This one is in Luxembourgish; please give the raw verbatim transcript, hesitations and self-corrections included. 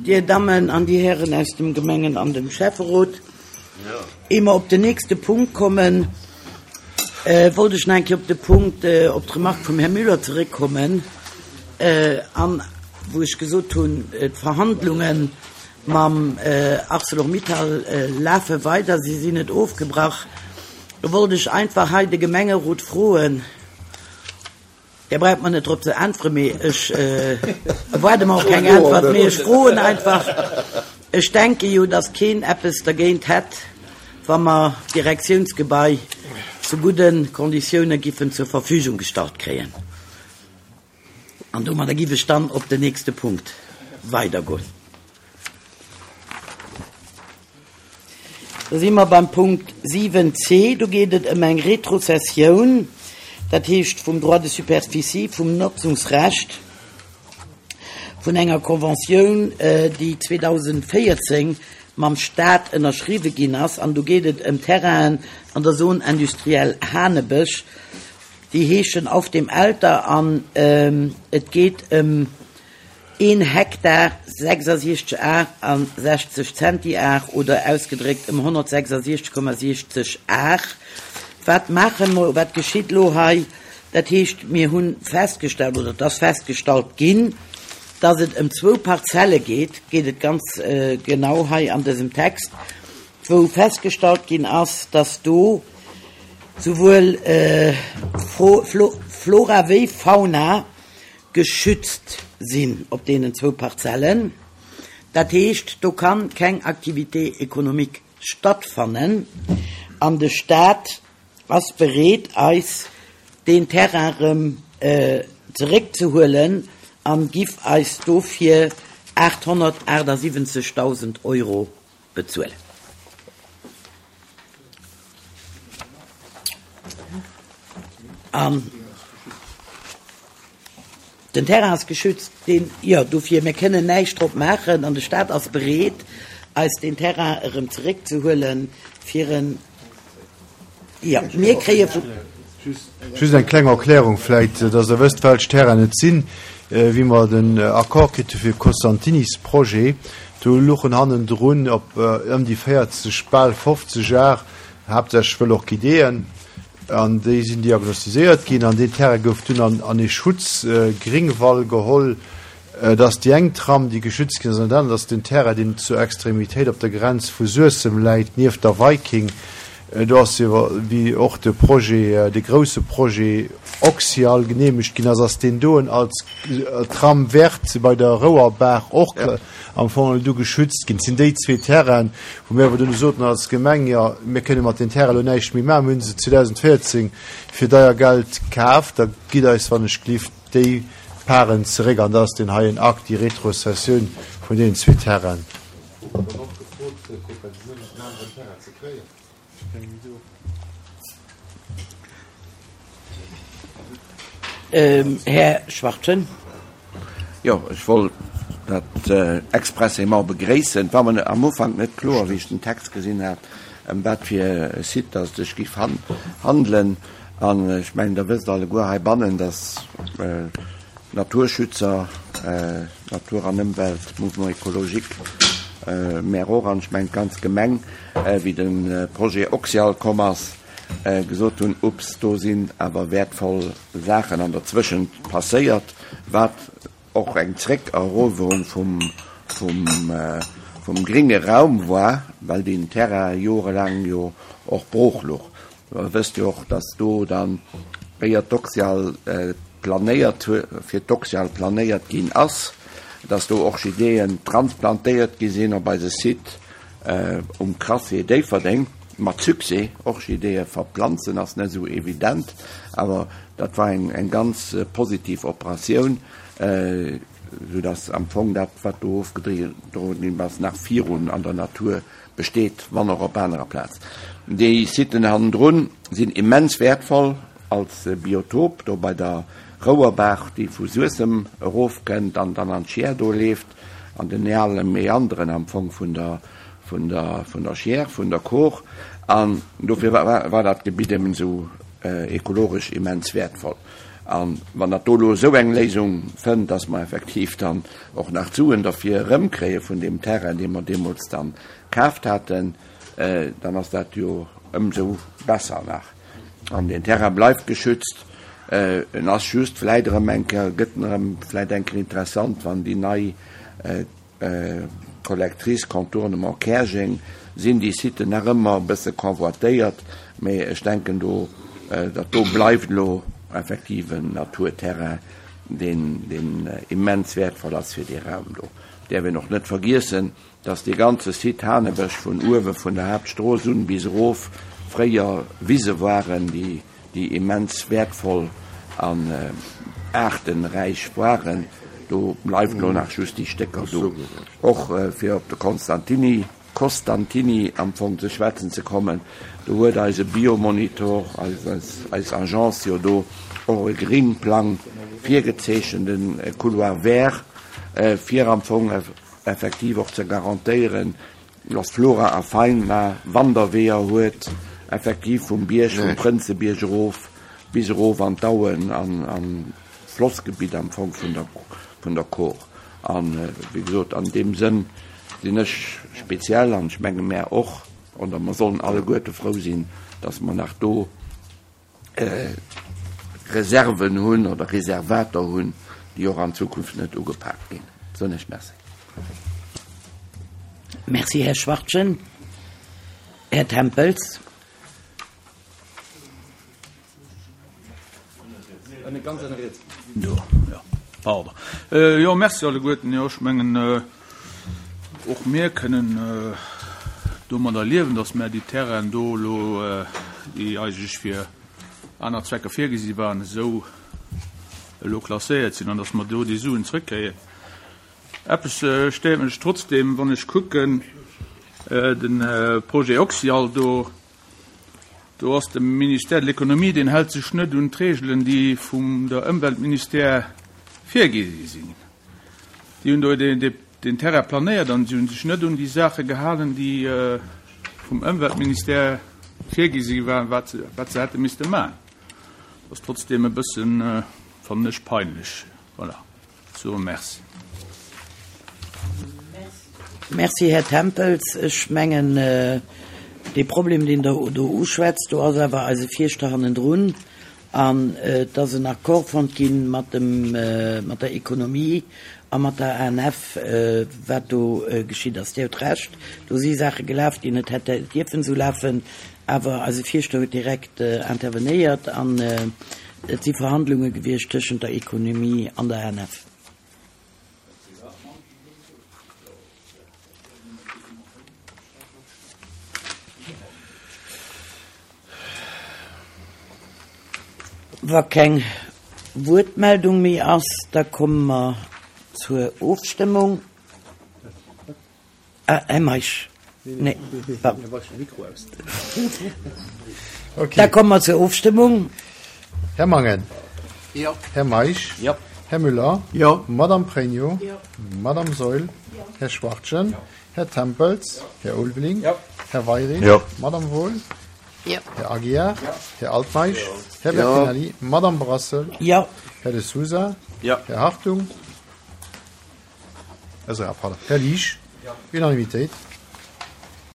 Dir Dammen an Dir Hären aus dem Gemengen an dem Schäfferot, ier mer op den nächste Punkt kommen, wollt ech nach eng Kéier op de Punkt, op d'Remarque vum Här Müller zeréckkommen, an wou ech gesot hunn, d'Verhandlunge mam Arcelor-Mittal lafe weider, si sinn net ofgebrach. Do wollt ech einfach hei de Gemengerot froen, Dir braucht mer net drop ze äntweren, mee ech erwaarde mer och keng Äntwert, mee ech froen einfach. Ech denke jo, datt keen eppes dergéint hätt, wa mer d'Direktiounsgebai zu gudde Konditioune giffen zur Verfügung gestallt kréien. An domadder giff ech dann op den nächste Punkt weidergoen. Da si mer beim Punkt siwen c. Do geet et ëm eng Retrozessioun, dat heescht vum Droit de superficie, vum Notzungsrecht vun enger Conventioun, déi zweedausendvéierzéng mam Stat ënnerschriwwe ginn ass. An do geet et ëm Terrainen an der Zone industrielle Hanebësch, déi heeschen Auf dem Elter, an et geet ëm een Hektar sechsasiechzeg Ar a sechzeg Zentiar oder ausgedréckt ëm honnertsechsasiechzeg Komma siechzeg Ar. Wat maache mer, wat geschitt elo hei? Dat heescht, mir hu festgestallt, oder et ass festgestallt ginn, dass et ëm zwou Parzelle geet, geet et ganz genau hei an dësem Text, wou festgestallt ginn ass, dass do souwuel Flora wéi Fauna geschützt sinn op deenen zwou Parzellen. Dat heescht, do kann keng Activité économique stattfannen an de Stat ass bereet, eis deen Terrain erëm zeréckzehuelen an giff eis dofir aathonnertaachtsiwwenzegdausend Euro bezuelen. An den Terrain ass geschützt, deen, jo, dofir, mir kënnen näischt drop maachen an de Stat ass bereet, eis deen Terrain erëm zeréckzehuelen, fir en, jo, mir kréie vu. Just eng kleng Erklärung vläit, dass Der wësst, welch Terrainen et sinn. Wéi mer den Accord kritt hu fir Costantinis Projet, do luchen hannendrun op ëm déi véierzeg, bal fofzeg Ar, haaptsächlech wëll Orchideeën, an déi sinn diagnostiséiert ginn an deen Terrain gouf dunn an an ee Schutzgringwall geholl. Et ass déi eng Tram, déi geschützt ginn ass, an dat anert ass den Terrain, deen zur Extremitéit op der Grenz vu Suessem läit, nieft der Viking. Do ass jo, wéi och de Projet, de grouse Projet Oxyal geneemegt ginn ass, ass deen doen als Tram verte bei der Rouerbaach och am Fong du geschützt ginn. Et sinn déi zwee Terrainen, wou mir awer dunn soten als Gemeng, jo, mir kënne mat den Terrainen elo näischt méi maachen, mir hu se zweedausendvéierzéng fir deier Geld kaf, da gitt eis wann ech gelift déi Paren zeréck. An dat ass deen heien Akt, déi Retrozessioun vun deenen zwee Terrainen. Här Schwachtgen. Jo, ech wollt dat expressément begréissen. Et war mer am Ufank net kloer, wéi ech den Text gesinn hat, ëm wat fir e Site dass et sech géif handelen. An ech mengen, Der wësst alleguer heibannen, dass d'Naturschützer, Natur an Ëmwelt, Mouvement écologique, mär och, an ech mengen d'ganz Gemeng, wéi de Projet Oxyal komm ass, gesot hunn, Ups, do sinn awer wäertvoll Saachen an der Zwëschent passéiert, wat och eng Zréckerowerung vum, vum, vum gringe Raum war, well deen Terrain jorelaang jo och brooch louch. Der wësst jo och, dass do dann, éier d'Oxyal planéiert, fir d'Oxyal planéiert ginn ass, dass do Orchideeën transplantéiert gi sinn op eise Site um Crassier Déifferdeng, mat Succès. Orchideeë verplanzen ass net esou evident, awer dat war eng, eng ganz positiv Operatioun, soudass am Fong dat, wat do ofgedroen ginn ass, nach virun an der Natur besteet, wann och op anerer Plaz. Déi Siten hannendrun sinn immens wäertvoll als Biotop, do bei der Rouerbaach, déi vu Suessem erofkënnt an dann an d'Schier do leeft, an den ale Meanderen am Fong vun der, vun der, vun der Schier, vun der Kor. An dofir war, war dat Gebitt eben esou ekologesch immens wäertvoll. An wann dat do elo esou eng Léisung fënnt, dass mer effektiv dann och nach d'Suen derfir erëmkréie vun deem Terrain, dee mer deemools dann kaaft haten, dann ass dat jo ëmsou besser nach. An deen Terrain bleift geschützt. En ass just vläit erëm eng Kéier, gëtt en erëm vläit eng Kéier interessant, wann déi nei Collectrice Contournement Käerjeng sinn déi Siten nach ëmmer e bësse convoitéiert, mee ech denken do, dat do bleift elo effektiv en Naturterrain, deen, deen immens wäertvoll ass fir dee Raum do. Däerf een och net vergiessen, dass dee ganze Site Hanebësch vun uewe vun der Haaptstrooss un bis erof fréier Wise waren, déi, déi immens wäertvoll an aartenräich waren. Do bleift elo nach just déi Stécker do. Och fir op de Constantini, Costantini am Fong ze schwätzen ze kommen, do huet eise Biomonitor, eis, eis Agence jo do och e Gringplang virgezeechent, den Couloir vert, fir am Fong effektiv och ze garantéieren, dass Flora a Fauna Wanderweeër huet, effektiv vum Bierg, vum Prënzebierg erof bis erof an d'Auen an, an Flossgebitt am Fong vun der, vun der Kor. An, wéi gesot, an deem Sënn sinn ech speziell, an ech menge mär och, oder mer sollen alleguerte frou sinn, dass mer nach do Reserven hunn oder Reservater hunn, déi och an Zukunft net ugepaakt ginn. Soen ech Merci. Merci, Här Schwachtgen. Här Tempels. Jo, merci alleguerten. Jo, ech mengen, och mir kënnen domadder liewen, datt mär déi Terrainen do elo, déi eigentlech fir aner Zwecker virgesi waren, esou elo klasséiert sinn an datt mer do déi Suen zrëckkréien. Eppes stéiert mech trotzdem, wann ech kucken, de Projet Oxyal do, Do ass de Ministère de l'Économie, deen hält sech net un d'Regelen, déi vum der Ëmweltministère virgi sinn. Déi hunn do deen Terrain planéiert an si hu sech net un déi Saache gehalen, déi vum Ëmweltministère virgi si waren, wat se hätte misste maachen. Dat ass trotzdeem e bëssen, fannen ech, peinlech. Voilà. Sou, merci. Merci, Här Tempels. Ech mengen, dee Problem, deen Der do uschwätzt, do ass awer eise Fierschter hannendrun an et ass en Accord fonnt gi mat dem, mat der Economie a mat der A N F, wat do geschitt ass. Dir hutt Recht, do si Saache gelaf, déi net hätte dierfen esou lafen, awer eise Fierschter huet direkt intervenéiert an et si Verhandlunge gewiescht tëschent der Economie an der A N F. Wa keng Wuertmeldung méi ass, da komme mer zur Ofstëmmung. Ah, Här Meisch. Nee, pardon. Da komme mer zur Ofstëmmung. Här Mangen. Jo. Här Meisch. Jo. Här Müller. Jo. Madame Pregno. Jo. Madame Saeul. Jo. Här Schwachtgen. Jo. Här Tempels. Jo. Här Ulveling. Jo. Här Weirich. Jo. Madame Wohl. Jo. Här Aguiar. Jo. Här Altmeisch. Jo. Här Bertinelli. Madame Brassel. Jo. Här De Sousa. Jo. Här Hartung. Pardon. Här Liesch. Jo. Unanimitéit.